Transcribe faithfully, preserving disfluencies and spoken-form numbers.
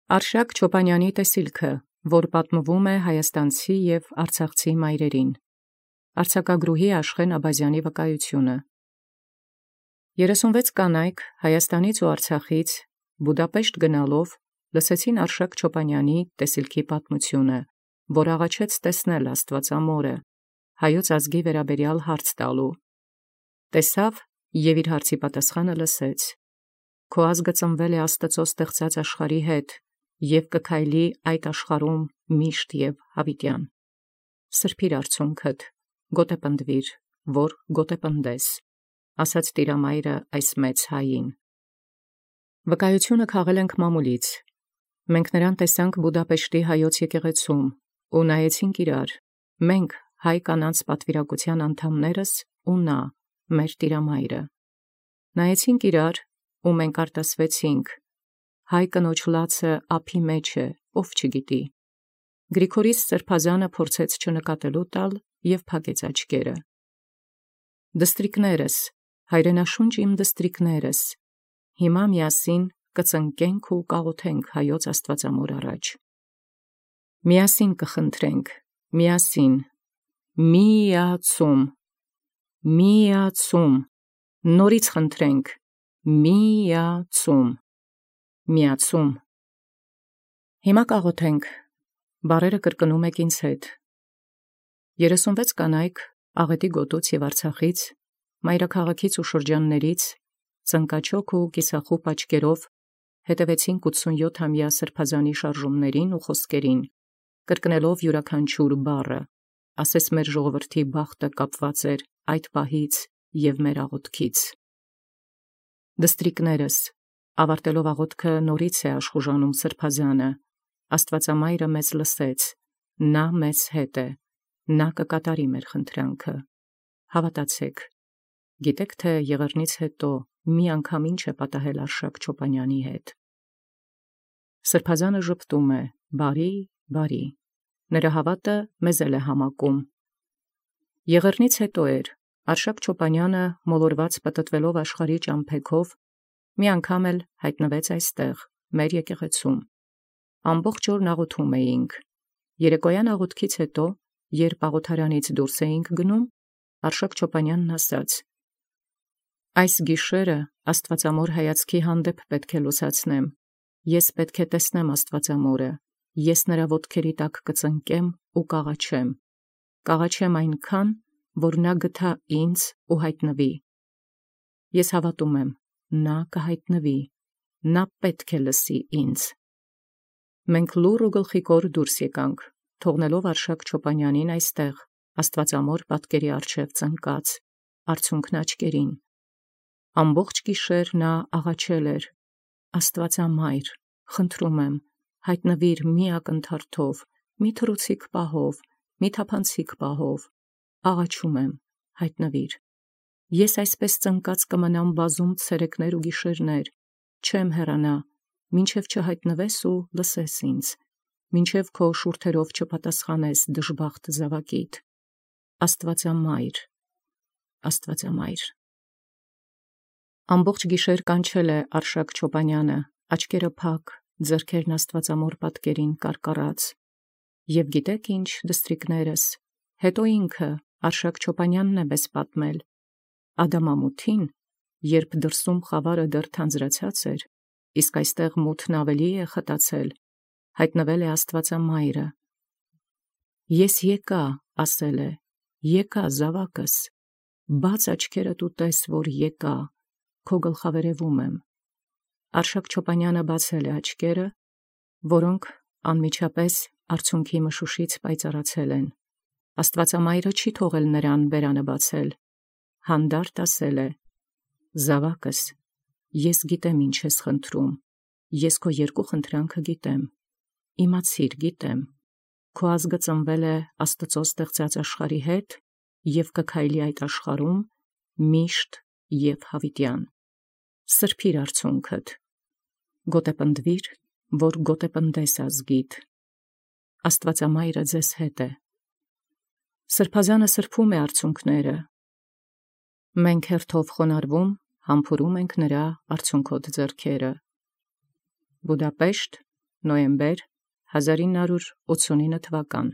Արշակ Չոպանյանի տեսիլքը, որ պատմվում է հայաստանցի և արցախցի մայրերին։ Արձակագրուհի Աշխեն Աբազյանի վկայությունը։ երեսունվեց կանայք Հայաստանից ու Արցախից Բուդապեշտ գնալով լսեցին Արշակ Չոպանյանի տեսիլքի պատմությունը, որ աղաչեց տեսնել Աստուածամորը, հայոց ազգի վերաբերյալ հարց տալու։ Տեսավ և իր հարցի պատասխանը լսեց. «Քո ազգը ծնվել է Աստծո ստեղծած աշխարհի հետ և կքայլի այդ աշխարհում միշտ և հավիտյան։ Սրբիր արցունքդ, գոտեպնդվիր, որ գոտեպնդես», ասաց Տիրամայրը այս մեծ հային։ Վկայությունը քաղել ենք մամուլից։ Մենք նրան տեսանք Բուդապեշտի հայոց եկեղեցում ու նայեցինք իրար, մենք հայ կանանց պատվիրակության անդամներս ու նա, մեր Տիրամայրը։ Նայեցինք իրար ու մենք արտասվեցինք. հայ կնոջ լացը ափի մեջ է, ով չգիտի։ Գրիգորիս սրբազանը փորձեց չնկատելու տալ և փակեց աչքերը։ Դստրիկներս, հայրենաշունչ իմ դստրիկներս, հիմա միասին կծնկենք ու կաղոթենք հայոց Աստվածամոր առաջ։ Միասին կխնդրենք, միասին, մի՛ացում, մի՛ացում, նորից խնդրենք, մի՛ացում, միացում։ Հիմա կաղոթենք, բառերը կրկնում եք ինձ հետ։ երեսունվեց կանայք Աղետի գոտուց և Արցախից, մայրաքաղաքից ու շրջաններից, ծնկաչոք ու կիսախուպ աչքերով հետևեցին ութսունյոթամյա սրբազանի շարժումներին ու խոսքերին, կրկնելով յուրաքանչյուր բառը, ասես մեր ժողովրդի բախտը կապված էր այդ պահից և մեր աղոթքից։ Դստրիկներս, ավարտելով աղոթքը նորից է աշխուժանում սրբազանը, Աստվածամայրը մեզ լսեց, նա մեզ հետ է, նա կկատարի մեր խնդրանքը։ Հավատացեք, գիտեք թե եղեռնից հետո մի անգամ ինչ է պատահել Արշակ Չոպանյանի հետ։ Սրբազանը ժպտում է, բարի, բարի, նրա հավատը մեզ էլ է համակում։ Եղեռնից հետո էր, Արշակ Չոպանյանը մոլորված պտտվելով աշխարհի ճամփեքով, մի անգամ էլ հայտնվեց այստեղ, մեր եկեղեցում։ Ամբողջ օրն աղոթում էինք։ Երեկոյան աղոթքից հետո, երբ աղոթարանից դուրս էինք գնում, Արշակ Չոպանյանն ասաց. «Այս գիշերը Աստվածամոր հայացքի հանդեպ պետք է լուսացնեմ, ես պետք է տեսնեմ Աստվածամորը, ես նրա ոտքերի տակ կծնկեմ ու կաղաչեմ, կաղաչեմ այնքան, որ նա գթա ինձ ու հայտնվի։ Ես հավատում եմ, նա կհայտնվի, նա պետք է լսի ինձ»։ Մենք լուռ ու գլխիկոր դուրս եկանք, թողնելով Արշակ Չոպանյանին այստեղ, Աստվածամոր պատկերի առջև ծնկած, արցունքն աչքերին։ Ամբողջ գիշեր նա աղաչել էր. «Աստվածամայր, խնդրում եմ, հայտնվիր մի ակնթարթով, մի թռուցիկ պահով, մի թափանցիկ պահով, աղաչում եմ, հայտնվիր։ Ես այսպես ծնկած կմնամ բազում ցերեկներ ու գիշերներ, չեմ հեռանա, մինչև չհայտնվես ու լսես ինձ, մինչև քո շուրթերով չպատասխանես դժբախտ զավակիդ։ Աստվածամայր, Աստվածամայր»։ Ամբողջ գիշեր կանչել է Արշակ Չոպանյանը, աչքերը փակ, ձեռքերն Աստվածամոր պատկերին կարկառած։ Եվ գիտեք ինչ, դստրիկներս, հետո ինքը Արշակ Չոպանյանն է մեզ պատմել. Ադամամութին, երբ դրսում խավարը դեռ թանձրացած էր, իսկ այստեղ մութն ավելի է խտացել, հայտնվել է Աստվածամայրը։ Ես եկա, ասել է, եկա զավակս, բաց աչքերդ ու տես, որ եկա, քո գլխավերևում եմ։ Արշակ Չոպանյանը բացել է աչքերը, որոնք անմիջապես արցունքի մշուշից պայծառացել են։ Աստվածամայրը չի թողել նրան բերանը բացել, հանդարտ ասել է. «Զավակս, ես գիտեմ ինչ ես խնդրում, ես քո երկու խնդրանքը գիտեմ, իմացիր, գիտեմ, քո ազգը ծնվել է Աստծո ստեղծած աշխարհի հետ և կքայլի այդ աշխարհում միշտ և հավիտյան։ Սրբիր արցունքդ, գոտեպնդվիր, որ գոտեպնդես ազգիդ։ Աստվածամայրը ձեզ հետ է»։ Սրբազանը սրբում է արցունքները։ Մենք հերթով խոնարհվում, համբուրում ենք նրա արցունքոտ ձեռքերը։ Բուդապեշտ, նոյեմբեր հազար ինը հարյուր ութսունինը թվական։